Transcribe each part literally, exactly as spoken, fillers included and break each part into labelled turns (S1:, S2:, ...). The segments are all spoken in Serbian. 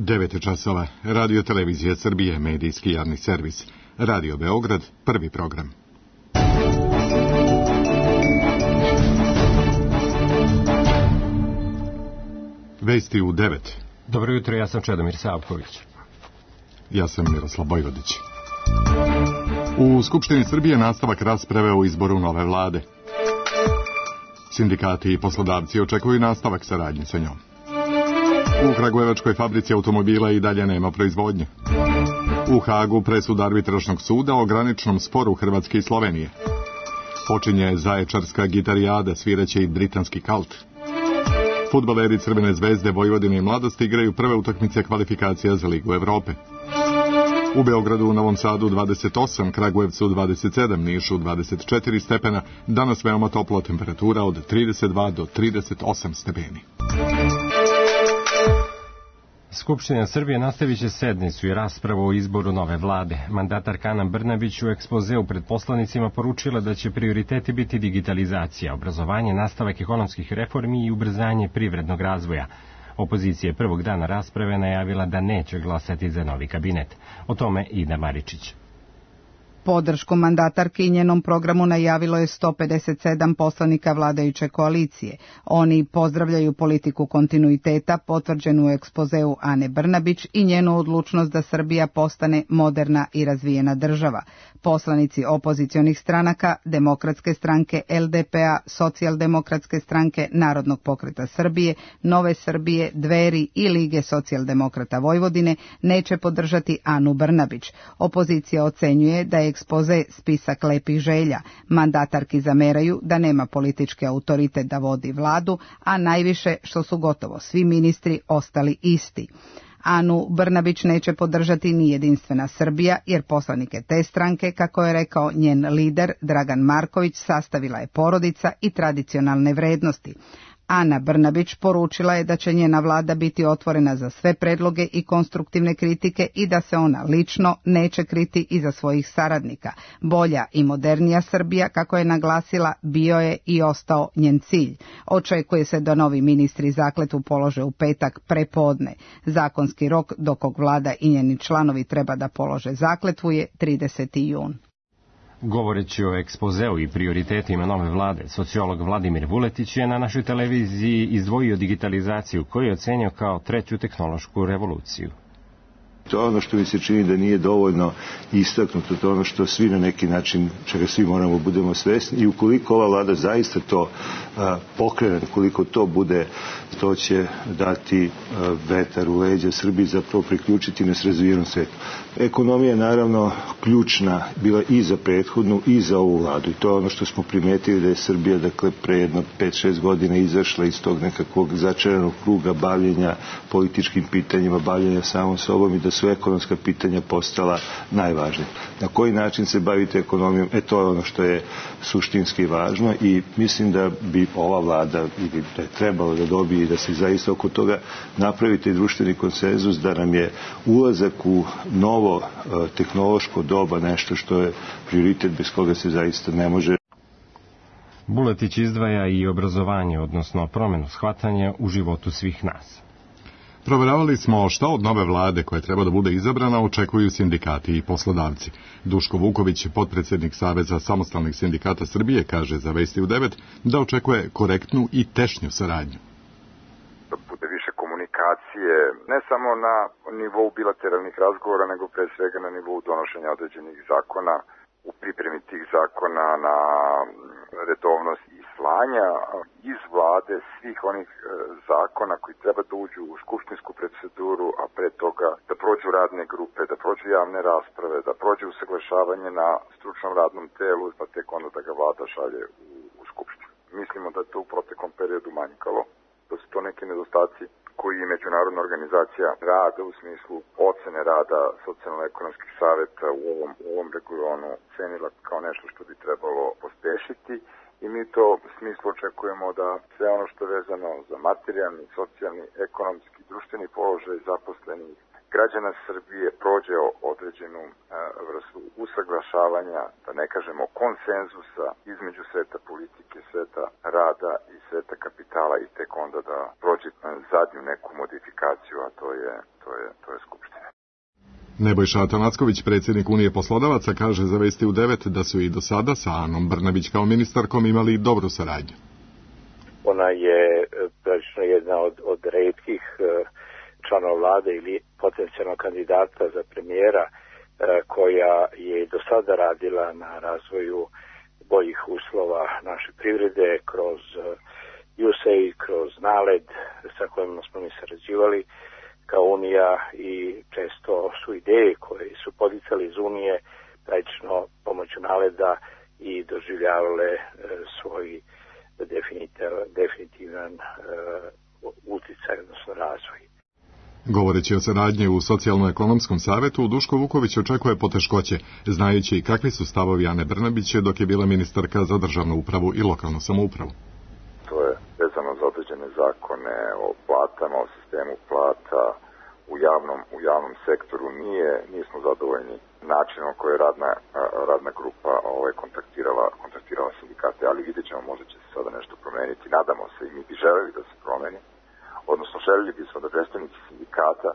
S1: devet časova. Radio Televizija Srbije, medijski javni servis. Radio Beograd, prvi program. Vesti u devet.
S2: Dobro jutro, ja sam Čedomir Savković.
S1: Ja sam Miroslav Bojvodić. U Skupštini Srbije nastavak rasprave o izboru nove vlade. Sindikati i poslodavci očekuju nastavak saradnje sa njom. U kragujevačkoj fabrici automobila i dalje nema proizvodnje. U Hagu presuda arbitražnog suda o graničnom sporu Hrvatske i Slovenije. Počinje zaječarska gitarijada, sviraće i britanski kalt. Fudbaleri Crvene zvezde, Vojvodine i Mladosti igraju prve utakmice kvalifikacija za Ligu Evrope. U Beogradu, u Novom Sadu dvadeset osam, Kragujevcu dvadeset sedam, Nišu dvadeset četiri stepena, danas veoma topla temperatura od trideset dva do trideset osam stepeni.
S2: Skupština Srbije nastavit će sednicu i raspravu o izboru nove vlade. Mandatarka Ana Brnabić u ekspozeu pred poslanicima poručila da će prioriteti biti digitalizacija, obrazovanje, nastavak ekonomskih reformi i ubrzanje privrednog razvoja. Opozicija je prvog dana rasprave najavila da neće glasati za novi kabinet. O tome Ida Maričić.
S3: Podršku mandatarki i njenom programu najavilo je sto pedeset sedam poslanika vladajuće koalicije. Oni pozdravljaju politiku kontinuiteta potvrđenu u ekspozeu Ane Brnabić i njenu odlučnost da Srbija postane moderna i razvijena država. Poslanici opozicionih stranaka, Demokratske stranke, L D P A, Socijaldemokratske stranke, Narodnog pokreta Srbije, Nove Srbije, Dveri i Lige socijaldemokrata Vojvodine neće podržati Anu Brnabić. Opozicija ocenjuje da je ekspoze spisak lepih želja. Mandatarki zameraju da nema politički autoritet da vodi vladu, a najviše što su gotovo svi ministri ostali isti. Anu Brnabić neće podržati ni Jedinstvena Srbija, jer poslanike te stranke, kako je rekao njen lider Dragan Marković, sastavila je porodica i tradicionalne vrednosti. Ana Brnabić poručila je da će njena vlada biti otvorena za sve predloge i konstruktivne kritike i da se ona lično neće kriti iza svojih saradnika. Bolja i modernija Srbija, kako je naglasila, bio je i ostao njen cilj. Očekuje se da novi ministri zakletvu polože u petak prepodne. Zakonski rok do kog vlada i njeni članovi treba da polože zakletvu je trideseti jun.
S2: Govoreći o ekspozeu i prioritetima nove vlade, sociolog Vladimir Vuletić je na našoj televiziji izdvojio digitalizaciju koju je ocenio kao treću tehnološku revoluciju.
S4: To je ono što mi se čini da nije dovoljno istaknuto, to je ono što svi na neki način, čega svi moramo budemo svesni, i ukoliko ova vlada zaista to a, pokrene, ukoliko to bude, to će dati a, vetar u leđa Srbiji, zapravo priključiti nas razvijenom svetu. Ekonomija je naravno ključna bila i za prethodnu i za ovu vladu, i to je ono što smo primetili, da je Srbija, dakle, pre jedno pet šest godina izašla iz tog nekakvog začaranog kruga bavljenja političkim pitanjima, bavljenja samom sobom, i da su ekonomska pitanja postala najvažnija. Na koji način se bavite ekonomijom, e to je ono što je suštinski važno, i mislim da bi ova vlada, ili da je trebalo da dobije i da se zaista oko toga napravite društveni konsenzus, da nam je ulazak u novo e, tehnološko doba nešto što je prioritet bez koga se zaista ne može.
S2: Vuletić izdvaja i obrazovanje, odnosno promenu shvatanja u životu svih nas.
S1: Proveravali smo šta od nove vlade koja treba da bude izabrana očekuju sindikati i poslodavci. Duško Vuković, potpredsjednik Saveza samostalnih sindikata Srbije, kaže za Vesti u devet da očekuje korektnu i tešnju saradnju.
S5: Da bude više komunikacije, ne samo na nivou bilateralnih razgovora, nego pre svega na nivou donošenja određenih zakona, u pripremi tih zakona, na redovnost i slanja iz vlade svih onih e, zakona koji treba da uđu u skupštinsku proceduru, a pre toga da prođu radne grupe, da prođu javne rasprave, da prođu usaglašavanje na stručnom radnom telu, pa tek onda da ga vlada šalje u, u skupštinu. Mislimo da je to u proteklom periodu manjkalo, da su to neki nedostaci koji je Međunarodna organizacija rada u smislu ocene rada socijalno-ekonomskih saveta u ovom, u ovom regionu cenila kao nešto što bi trebalo pospešiti, i mi to u smislu očekujemo da sve ono što je vezano za materijalni, socijalni, ekonomski, društveni položaj zaposlenih građana Srbije prođe određenu vrstu usaglašavanja, da ne kažemo konsenzusa između sveta politike, sveta rada i sveta kapitala i tek onda da prođe zadnju neku modifikaciju, a to je, to je, to je Skupština.
S1: Nebojša Atanacković, predsjednik Unije poslodavaca, kaže za Vesti u devet da su i do sada sa Anom Brnabić kao ministarkom imali dobru saradnju.
S6: Ona je praktično jedna od, od retkih članova vlade ili potencijalnog kandidata za premijera koja je do sada radila na razvoju boljih uslova naše privrede kroz U S A I D, kroz NALED sa kojima smo mi sarađivali kao Unija i često su ideje koje su podicali iz Unije praktično pomoću NALED-a i doživljavale svoj definitivan uticaj, odnosno razvoj.
S1: Govoreći o saradnji u Socijalno-ekonomskom savetu, Duško Vuković očekuje poteškoće, znajući kakvi su stavovi Ane Brnabić dok je bila ministarka za državnu upravu i lokalnu samoupravu.
S5: To je vezano za određene zakone o platama, o sistemu plata u javnom, u javnom sektoru. Nije, nismo zadovoljni načinom koji je radna, radna grupa ovaj, kontaktirala, kontaktirala sindikate, ali vidjet ćemo, možda će se sada nešto promeniti. Nadamo se i mi bi želeli da se promeni. Odnosno, željeli bismo da predstavnici sindikata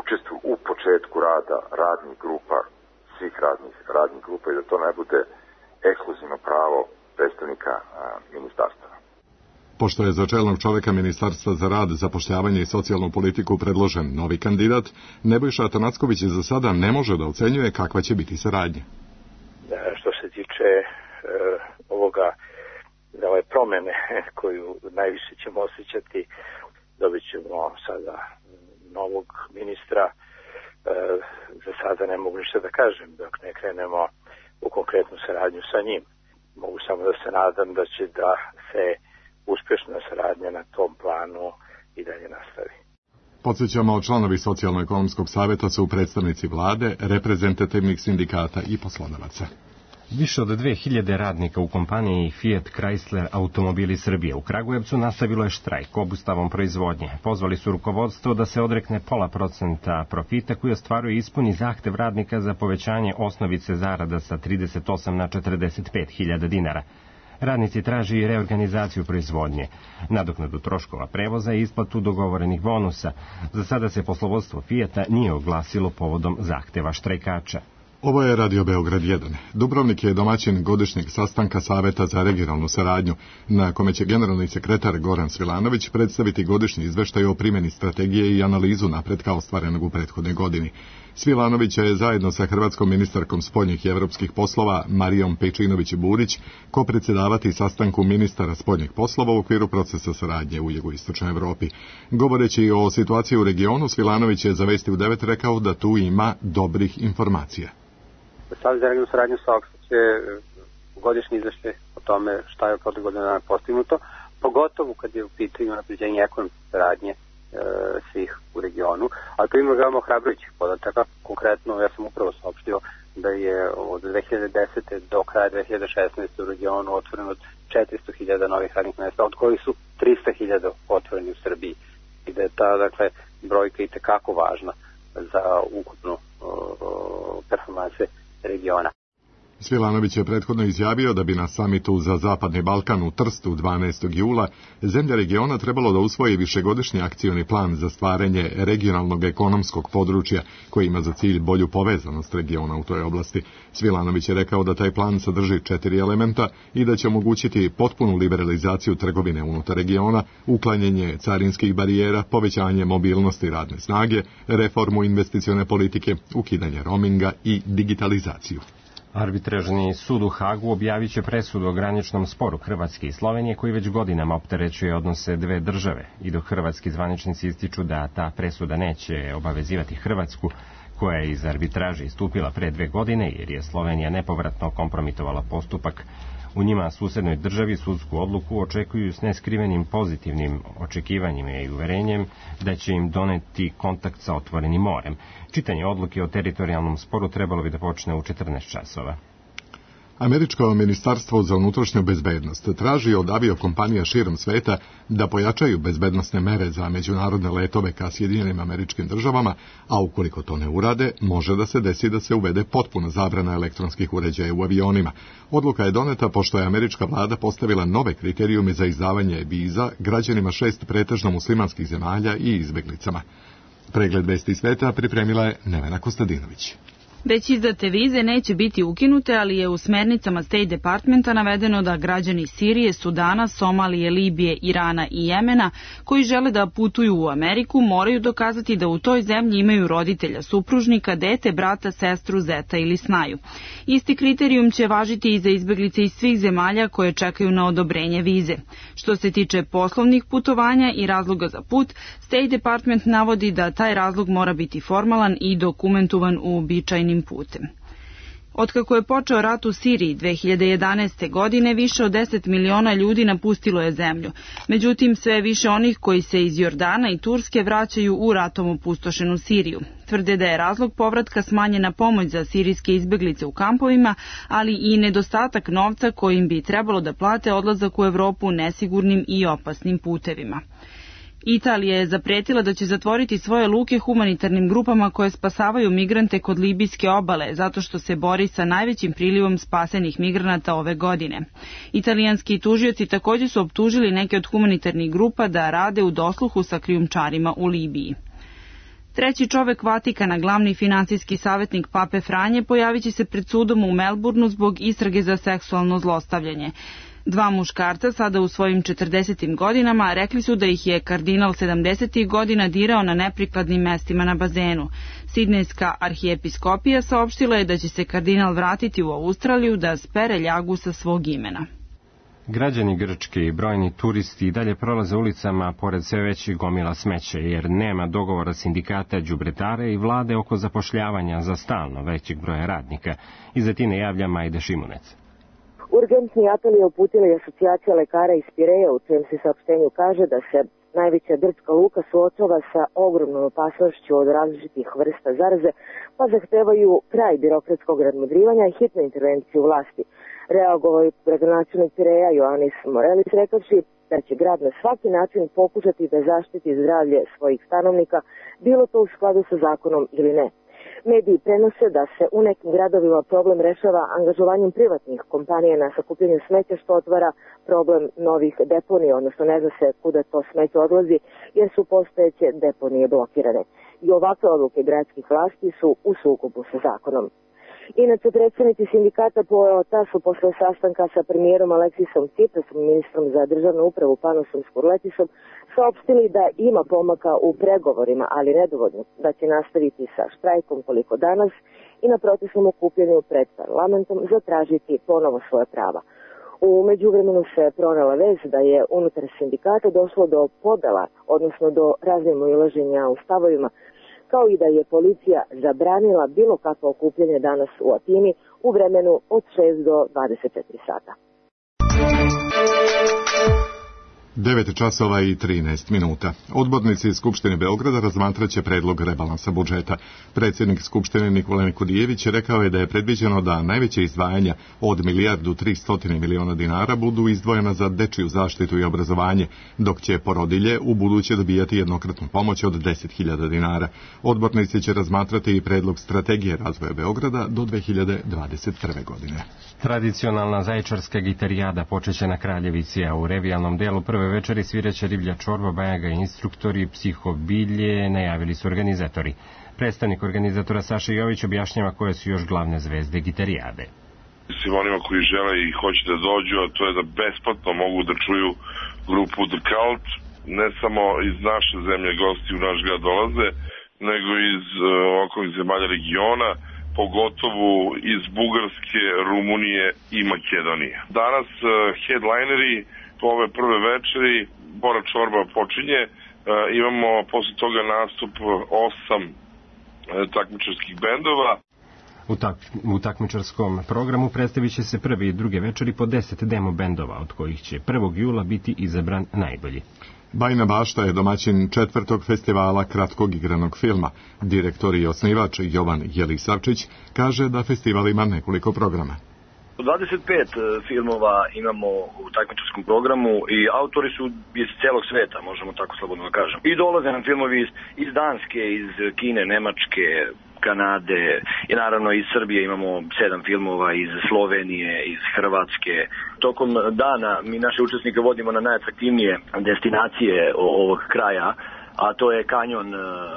S5: učestvuju u početku rada radnih grupa, svih radnih, radnih grupa i da to ne bude ekskluzivno pravo predstavnika a, ministarstva.
S1: Pošto je za čelnog čoveka Ministarstva za rad, zapošljavanje i socijalnu politiku predložen novi kandidat, Nebojša Atanacković za sada ne može da ocenjuje kakva će biti saradnja.
S6: Što se tiče e, ovoga, ove promene koju najviše ćemo osjećati, dobit ćemo sada novog ministra. E, za sada ne mogu ništa da kažem dok ne krenemo u konkretnu saradnju sa njim. Mogu samo da se nadam da će da se uspješna saradnja na tom planu i dalje nastavi.
S1: Podsjećamo, članovi Socijalno-ekonomskog saveta su predstavnici vlade, reprezentativnih sindikata i poslodavaca.
S2: Više od dve hiljade radnika u kompaniji Fiat Chrysler Automobili Srbije u Kragujevcu nastavilo je štrajk obustavom proizvodnje. Pozvali su rukovodstvo da se odrekne pola procenta profita koji ostvaruje ispuni zahtev radnika za povećanje osnovice zarada sa trideset osam na četrdeset pet hiljada dinara. Radnici traži i reorganizaciju proizvodnje, nadoknadu troškova prevoza i isplatu dogovorenih bonusa. Za sada se poslovodstvo Fijata nije oglasilo povodom zahteva štrajkača.
S1: Ovo je Radio Beograd jedan. Dubrovnik je domaćin godišnjeg sastanka Saveta za regionalnu saradnju, na kome će generalni sekretar Goran Svilanović predstaviti godišnji izveštaj o primjeni strategije i analizu napretka ostvarenog u prethodnoj godini. Svilanović je zajedno sa hrvatskom ministarkom spoljnih i evropskih poslova Marijom Pejčinović-Burić kopredsjedavati sastanku ministara spoljnih poslova u okviru procesa saradnje u jugoistočnoj Evropi. Govoreći o situaciji u regionu, Svilanović je za Vesti u devet rekao da tu ima dobrih informacija.
S7: Savez za regionalnu saradnju saopštaće godišnji izveštaj o tome šta je protiv godine dana postignuto, pogotovo kad je u pitanju unapređenje ekonomske saradnje e, svih u regionu, ali to ima veoma ohrabrujućih podataka. Konkretno, ja sam upravo saopštio da je od dve hiljade desete do kraja dve hiljade šesnaeste u regionu otvoreno četiristo hiljada novih radnih mjesta, od kojih su trista hiljada otvoreni u Srbiji. I da je ta, dakle, brojka i tekako važna za ukupnu performanse regiona.
S1: Svilanović je prethodno izjavio da bi na samitu za Zapadni Balkan u Trstu dvanaestog jula zemlje regiona trebalo da usvoji višegodišnji akcioni plan za stvaranje regionalnog ekonomskog područja koji ima za cilj bolju povezanost regiona u toj oblasti. Svilanović je rekao da taj plan sadrži četiri elementa i da će omogućiti potpunu liberalizaciju trgovine unutar regiona, uklanjanje carinskih barijera, povećanje mobilnosti radne snage, reformu investicione politike, ukidanje roaminga i digitalizaciju.
S2: Arbitražni sud u Hagu objavit će presudu o graničnom sporu Hrvatske i Slovenije koji već godinama opterećuje odnose dve države i dok hrvatski zvaničnici ističu da ta presuda neće obavezivati Hrvatsku, koja je iz arbitraže istupila pre dve godine jer je Slovenija nepovratno kompromitovala postupak. U njima susednoj državi sudsku odluku očekuju s neskrivenim pozitivnim očekivanjima i uverenjem da će im doneti kontakt sa otvorenim morem. Čitanje odluke o teritorijalnom sporu trebalo bi da počne u četrnaest časova.
S1: Američko ministarstvo za unutrašnju bezbednost traži od aviokompanija širom sveta da pojačaju bezbednosne mere za međunarodne letove ka Sjedinjenim Američkim Državama, a ukoliko to ne urade, može da se desi da se uvede potpuna zabrana elektronskih uređaja u avionima. Odluka je doneta pošto je američka vlada postavila nove kriterijume za izdavanje viza građanima šest pretežno muslimanskih zemalja i izbeglicama. Pregled vesti sveta pripremila je Nevena Kostadinović.
S8: Već izdate vize neće biti ukinute, ali je u smernicama State Departmenta navedeno da građani Sirije, Sudana, Somalije, Libije, Irana i Jemena koji žele da putuju u Ameriku moraju dokazati da u toj zemlji imaju roditelja, supružnika, dete, brata, sestru, zeta ili snaju. Isti kriterijum će važiti i za izbeglice iz svih zemalja koje čekaju na odobrenje vize. Što se tiče poslovnih putovanja i razloga za put, State Department navodi da taj razlog mora biti formalan i dokumentovan u uobičajenim putem. Otkako je počeo rat u Siriji dve hiljade jedanaeste. godine, više od deset miliona ljudi napustilo je zemlju. Međutim, sve više onih koji se iz Jordana i Turske vraćaju u ratom opustošenu Siriju. Tvrde da je razlog povratka smanjena pomoć za sirijske izbeglice u kampovima, ali i nedostatak novca kojim bi trebalo da plate odlazak u Evropu nesigurnim i opasnim putevima. Italija je zapretila da će zatvoriti svoje luke humanitarnim grupama koje spasavaju migrante kod libijske obale, zato što se bori sa najvećim prilivom spasenih migranata ove godine. Italijanski tužioci također su optužili neke od humanitarnih grupa da rade u dosluhu sa krijumčarima u Libiji. Treći čovek Vatikana, glavni finansijski savjetnik Pape Franje, pojavit će se pred sudom u Melbourneu zbog istrage za seksualno zlostavljanje. Dva muškarca, sada u svojim četrdesetim godinama, rekli su da ih je kardinal sedamdesetih godina dirao na neprikladnim mestima na bazenu. Sidnejska arhijepiskopija saopštila je da će se kardinal vratiti u Australiju da spere ljagu sa svog imena.
S2: Građani Grčke i brojni turisti i dalje prolaze ulicama pored sve većih gomila smeća, jer nema dogovora sindikata đubretara i vlade oko zapošljavanja za stalno većeg broja radnika. Iz Atine javlja Majda Šimunec.
S9: Urgentni apel je uputila i asocijacija lekara iz Pireja, u čijem se saopštenju kaže da se najveća grčka luka suočava sa ogromnom opasnošću od različitih vrsta zaraze, pa zahtevaju kraj birokratskog nadmudrivanja i hitnu intervenciju vlasti. Reagovao je gradonačelnik Pireja Ioannis Morelis rekavši da će grad na svaki način pokušati da zaštiti zdravlje svojih stanovnika, bilo to u skladu sa zakonom ili ne. Mediji prenose da se u nekim gradovima problem rešava angažovanjem privatnih kompanija na sakupljanju smeća, što otvara problem novih deponija, odnosno ne zna se kuda to smeće odlazi, jer su postojeće deponije blokirane. I ovakve odluke gradskih vlasti su u sukobu sa zakonom. Inače, predsjednici sindikata Poeta su posle sastanka sa premijerom Aleksisom Tsiprasom i ministrom za državnu upravu Panosom Skurletisom saopštili da ima pomaka u pregovorima, ali nedovoljno, da će nastaviti sa štrajkom koliko danas i na protestnom okupljanju pred parlamentom zatražiti ponovo svoje prava. U međuvremenu se pronala vez da je unutar sindikata došlo do podela, odnosno do razmimoilaženja u stavovima, kao i da je policija zabranila bilo kakvo okupljanje danas u Atini u vremenu od šest do dvadeset četiri sata.
S1: devet časova i trinaest minuta. Odbornici Skupštine Beograda razmatraće predlog rebalansa budžeta. Predsjednik Skupštine Nikola Nikodijević rekao je da je predviđeno da najveće izdvajanja od milijardu tristo miliona dinara budu izdvojena za dečiju zaštitu i obrazovanje, dok će porodilje u buduće dobijati jednokratnu pomoć od deset hiljada dinara. Odbornici će razmatrati i predlog strategije razvoja Beograda do dve hiljade dvadeset prve. godine.
S2: Tradicionalna zaječarska gitarijada počeće na Kraljevici, a u revijalnom delu prve večeri sviraće riblja čorba, bajaga i instruktori, psihobilje, najavili su organizatori. Predstavnik organizatora Saša Jović objašnjava koje su još glavne zvezde gitarijade.
S10: Svim onima koji žele i hoće da dođu, a to je da besplatno mogu da čuju grupu The Cult, ne samo iz naše zemlje gosti u naš grad dolaze, nego iz uh, okolnih zemalja regiona, pogotovo iz Bugarske, Rumunije i Makedonije. Danas uh, headlineri po ove prve večeri, Bora Čorba počinje, uh, imamo posle toga nastup osam uh, takmičarskih bendova.
S2: U, tak, u takmičarskom programu predstavit će se prve i druge večeri po deset demo bendova, od kojih će prvog jula biti izabran najbolji.
S1: Bajina Bašta je domaćin četvrtog festivala kratkog igranog filma. Direktor i osnivač Jovan Jelisavčić kaže da festival ima nekoliko programa.
S11: dvadeset pet filmova imamo u takmičarskom programu i autori su iz celog sveta, možemo tako slobodno da kažem. I dolaze nam filmovi iz, iz Danske, iz Kine, Nemačke, Kanade i naravno iz Srbije imamo sedam filmova, iz Slovenije, iz Hrvatske. Tokom dana mi naše učesnike vodimo na najatraktivnije destinacije ovog kraja, a to je kanjon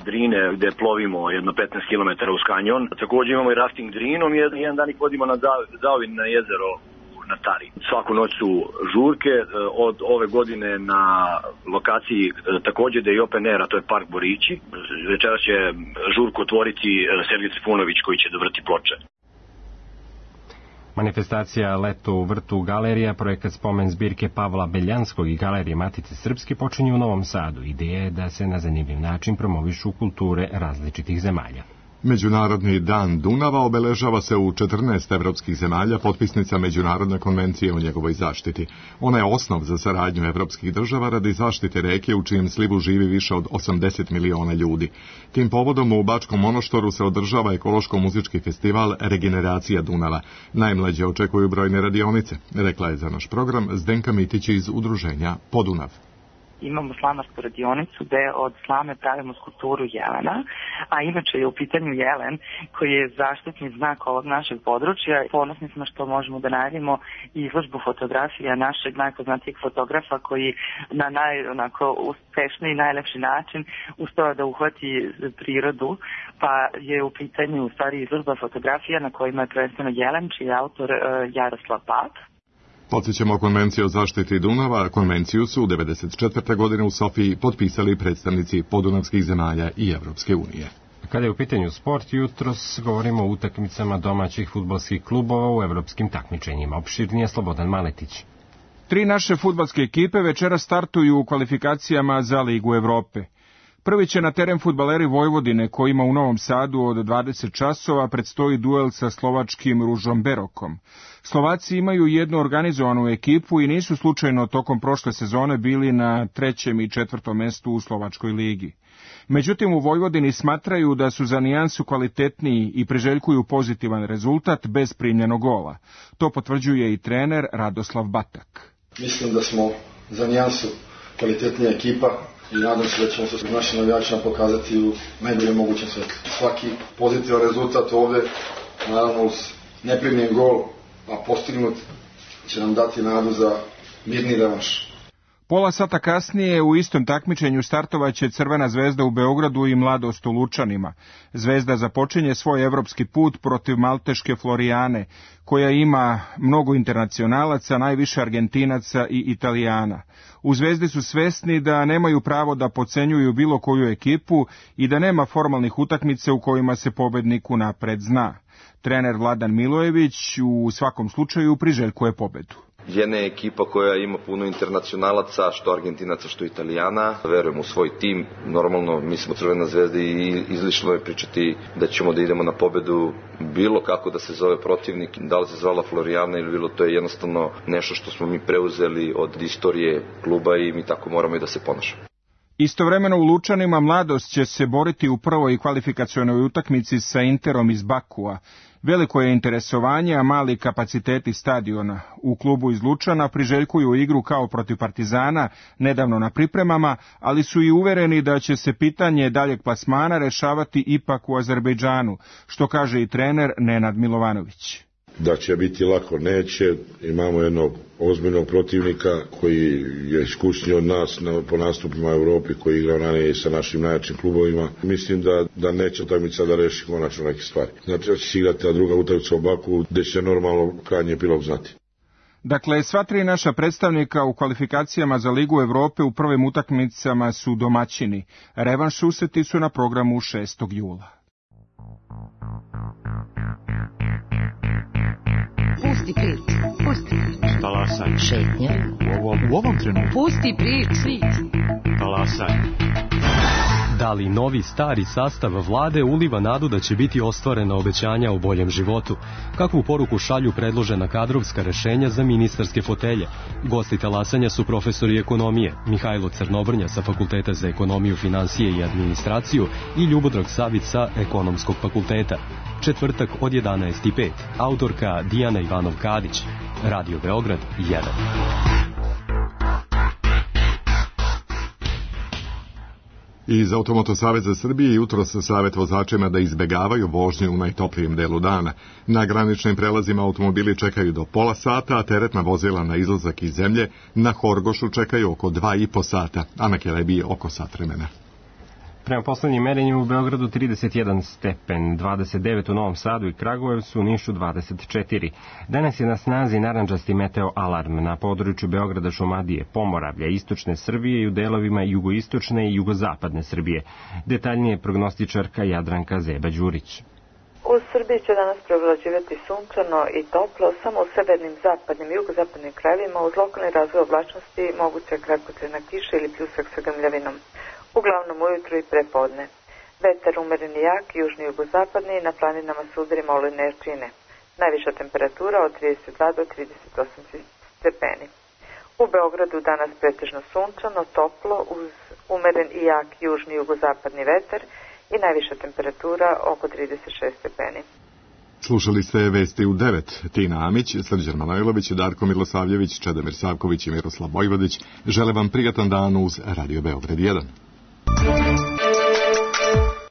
S11: Drine gde plovimo jedno petnaest kilometara uz kanjon. Također imamo i rafting Drinom i jedan dan ih vodimo na Zaovin na jezero na Tari. Svaku noć su žurke, od ove godine na lokaciji također da je i Open Air, a to je Park Borići. Večeras će žurku otvoriti Sergej Trifunović koji će dovrti ploče.
S2: Manifestacija Leto u vrtu galerija, projekat spomen zbirke Pavla Beljanskog i galerije Matice Srpske počinje u Novom Sadu. Ideja je da se na zanimljiv način promovišu kulture različitih zemalja.
S1: Međunarodni dan Dunava obeležava se u četrnaest evropskih zemalja potpisnica Međunarodne konvencije o njegovoj zaštiti. Ona je osnov za saradnju evropskih država radi zaštite reke u čijem slivu živi više od osamdeset miliona ljudi. Tim povodom u Bačkom Monoštoru se održava ekološko-muzički festival Regeneracija Dunava. Najmlađe očekuju brojne radionice, rekla je za naš program Zdenka Mitić iz udruženja Podunav.
S12: Imamo slamarsku radionicu gde od slame pravimo skulpturu jelena, a inače je u pitanju jelen koji je zaštitni znak ovog našeg područja. Ponosni smo što možemo da najavimo izložbu fotografija našeg najpoznatijeg fotografa koji na naj, onako, uspešniji i najlepši način uspeo da uhvati prirodu, pa je u pitanju u stvari izložba fotografija na kojima je prvenstveno jelen, čiji je autor uh, Jaroslav Pap.
S1: Podsjećamo Konvenciju o zaštiti Dunava. Konvenciju su u devedeset četvrte godine u Sofiji potpisali predstavnici podunavskih zemalja i Evropske unije.
S2: Kada je u pitanju sport, jutros govorimo o utakmicama domaćih fudbalskih klubova u evropskim takmičenjima. Opširnije Slobodan Maletić.
S13: Tri naše fudbalske ekipe večera startuju u kvalifikacijama za Ligu Evrope. Prvi će na teren fudbaleri Vojvodine, kojima u Novom Sadu od dvadeset časova predstoji duel sa slovačkim Ružomberokom. Slovaci imaju jednu organizovanu ekipu i nisu slučajno tokom prošle sezone bili na trećem i četvrtom mestu u Slovačkoj ligi. Međutim, u Vojvodini smatraju da su za nijansu kvalitetniji i priželjkuju pozitivan rezultat bez primljenog gola. To potvrđuje i trener Radoslav Batak.
S14: Mislim da smo za nijansu kvalitetnija ekipa i nadam se da ćemo se s našim navijačima pokazati u najboljem mogućem svetlu. Svaki pozitivan rezultat ovde, naravno uz neprimljen gol, a postignut, će nam dati nadu za mirni revanš.
S13: Pola sata kasnije u istom takmičenju startovaće Crvena zvezda u Beogradu i Mladost u Lučanima. Zvezda započinje svoj evropski put protiv malteške Florijane, koja ima mnogo internacionalaca, najviše Argentinaca i Italijana. U Zvezdi su svesni da nemaju pravo da podcenjuju bilo koju ekipu i da nema formalnih utakmice u kojima se pobednik unapred zna. Trener Vladan Milojević u svakom slučaju priželjkuje pobedu.
S15: Jedna je ekipa koja ima puno internacionalaca, što Argentinaca, što Italijana. Verujem u svoj tim. Normalno, mi smo Crvena zvezda i izlišno je pričati da ćemo da idemo na pobedu bilo kako da se zove protivnik. Da li se zvala Florijana ili bilo, to je jednostavno nešto što smo mi preuzeli od istorije kluba i mi tako moramo i da se ponašamo.
S13: Istovremeno u Lučanima Mladost će se boriti u prvoj kvalifikacionoj utakmici sa Interom iz Bakua. Veliko je interesovanje, a mali kapaciteti stadiona. U klubu iz Lučana priželjkuju igru kao protiv Partizana, nedavno na pripremama, ali su i uvereni da će se pitanje daljeg plasmana rešavati ipak u Azerbejdžanu, što kaže i trener Nenad Milovanović.
S16: Da će biti lako, neće. Imamo jednog ozbiljnog protivnika koji je iskusniji od nas na, po nastupima u Evropi, koji igra ranije sa našim najjačim klubovima. Mislim da, da neće utakmica da reši konačno neke stvari. Znači da će se igrati druga utakmica u Baku, gde će normalno krajnji epilog znati.
S13: Dakle, sva tri naša predstavnika u kvalifikacijama za Ligu Evrope u prvim utakmicama su domaćini. Revanš susreti su na programu šestog jula.
S17: Pusti priču, pusti priču.
S18: Talasaj.
S17: Šetnja.
S18: U ovom, u ovom trenutku.
S17: Pusti priču.
S18: Talasaj.
S17: Da
S18: ali novi stari sastav vlade uliva nadu da će biti ostvarena obećanja o boljem životu. Kakvu poruku šalju predložena kadrovska rešenja za ministarske fotelje? Gosti talasanja su profesori ekonomije Mihajlo Crnobrnja sa Fakulteta za ekonomiju, finansije i administraciju i Ljubodrag Savić sa Ekonomskog fakulteta. Četvrtak od jedanaest i pet. Autorka Dijana Ivanov-Kadić. Radio Beograd jedan.
S1: Iz Automoto saveza Srbije jutros savjet vozačima da izbegavaju vožnju u najtoplijem delu dana. Na graničnim prelazima automobili čekaju do pola sata, a teretna vozila na izlazak iz zemlje na Horgošu čekaju oko dva i po sata, a na Kelebiji oko sat vremena.
S2: Prema poslednjim merenjima u Beogradu trideset jedan stepen, dvadeset devet u Novom Sadu i Kragujevcu, u Nišu dvadeset četiri. Danas je na snazi narandžasti meteo alarm na području Beograda, Šumadije, Pomoravlja, istočne Srbije i u delovima jugoistočne i jugozapadne Srbije. Detaljnije prognostičarka Jadranka Zeba-Đurić.
S19: U Srbiji će danas prevlađivati sunčano i toplo, samo u severnim, zapadnim i jugozapadnim krajevima uz lokalni razvoj oblačnosti moguća kratkotrajna kiša ili pljusak sa grmljavinom. Uglavnom ujutru i prepodne. Vetar umeren i jak, južni i jugozapadni, na planinama s udarima olujne jačine. Najviša temperatura od trideset dva do trideset osam stepeni. U Beogradu danas pretežno sunčano, toplo, uz umeren i jak južni i jugozapadni vetar i najviša temperatura oko trideset šest stepeni.
S1: Slušali ste vesti u devet. Tina Amić, Srđan Manojlović, Darko Milosavljević, Čedomir Savković i Miroslav Vojvodić žele vam prijatan dan uz Radio Beograd jedan.